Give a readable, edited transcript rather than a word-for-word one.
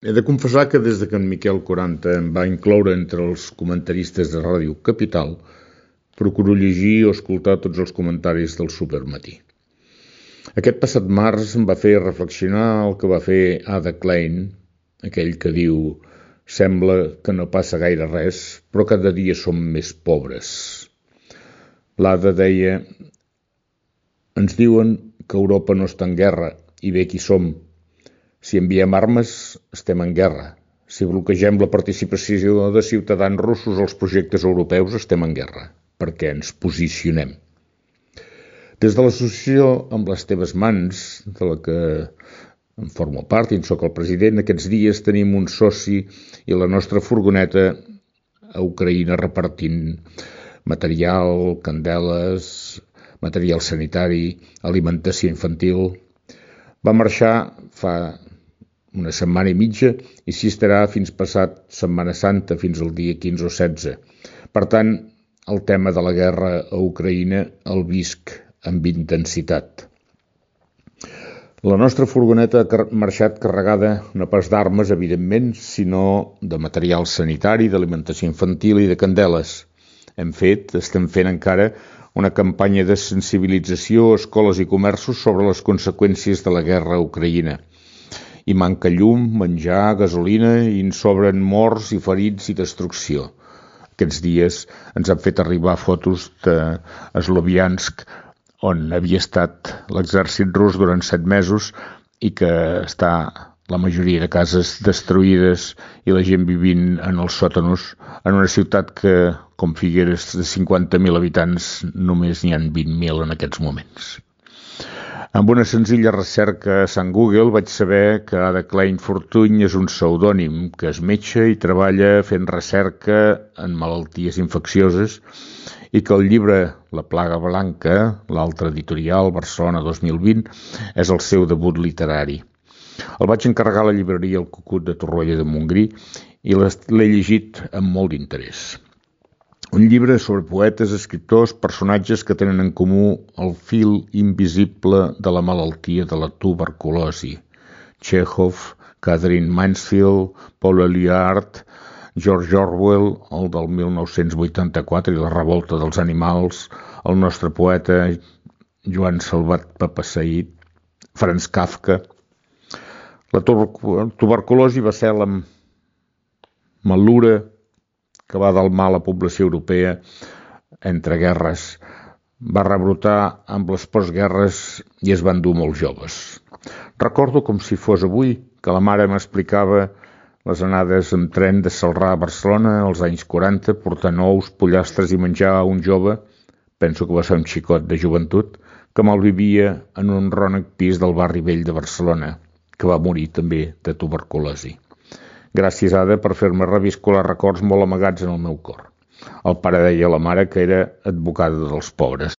He de confessar que des que en Miquel 40 em va incloure entre els comentaristes de Ràdio Capital, procuro llegir o escoltar tots els comentaris del Supermatí. Aquest passat març em va fer reflexionar el que va fer Ada Klein, aquell que diu «Sembla que no passa gaire res, però cada dia som més pobres». L'Ada deia «Ens diuen que Europa no està en guerra, i bé qui som. Si enviem armes, estem en guerra. Si bloquegem la participació de ciutadans russos als projectes europeus, estem en guerra, perquè ens posicionem». Des de l'associació Amb les teves mans, de la que en formo part i en soc el president, aquests dies tenim un soci i la nostra furgoneta a Ucraïna repartint material, candeles, material sanitari, alimentació infantil. Va marxar fa una setmana i mitja i s'hi estarà fins passat Setmana Santa, fins al dia 15 o 16. Per tant, el tema de la guerra a Ucraïna el visc amb intensitat. La nostra furgoneta ha marxat carregada no pas d'armes, evidentment, sinó de material sanitari, d'alimentació infantil i de candeles. Estem fent encara una campanya de sensibilització a escoles i comerços sobre les conseqüències de la guerra a Ucraïna. Hi manca llum, menjar, gasolina i en sobren morts i ferits i destrucció. Aquests dies ens han fet arribar fotos de Sloviansk, on havia estat l'exèrcit rus durant 7 mesos i que està la majoria de cases destruïdes i la gent vivint en els sòtanos en una ciutat que, com Figueres, de 50.000 habitants, només n'hi ha 20.000 en aquests moments. Amb una senzilla recerca a Sant Google vaig saber que Ada Klein Fortuny és un pseudònim, que és metge i treballa fent recerca en malalties infeccioses i que el llibre La plaga blanca, l'altre editorial, Barcelona 2020, és el seu debut literari. El vaig encarregar a la llibreria El Cucut de Torroella de Montgrí i l'he llegit amb molt d'interès. Un llibre sobre poetes, escriptors, personatges que tenen en comú el fil invisible de la malaltia de la tuberculosi. Chekhov, Catherine Mansfield, Paul Eluard, George Orwell, el del 1984 i la revolta dels animals, el nostre poeta Joan Salvat Papasseit, Franz Kafka. La tuberculosi va ser la malura que va delmar la població europea entre guerres. Va rebrotar amb les postguerres i es van dur molts joves. Recordo com si fos avui que la mare m'explicava les anades amb tren de Celrà a Barcelona als anys 40, portant ous, pollastres i menjar a un jove, penso que va ser un xicot de joventut, que malvivia en un rònec pis del barri vell de Barcelona, que va morir també de tuberculosi. Gràcies, Ada, per fer-me reviscolar records molt amagats en el meu cor. El pare deia a la mare que era advocada dels pobres.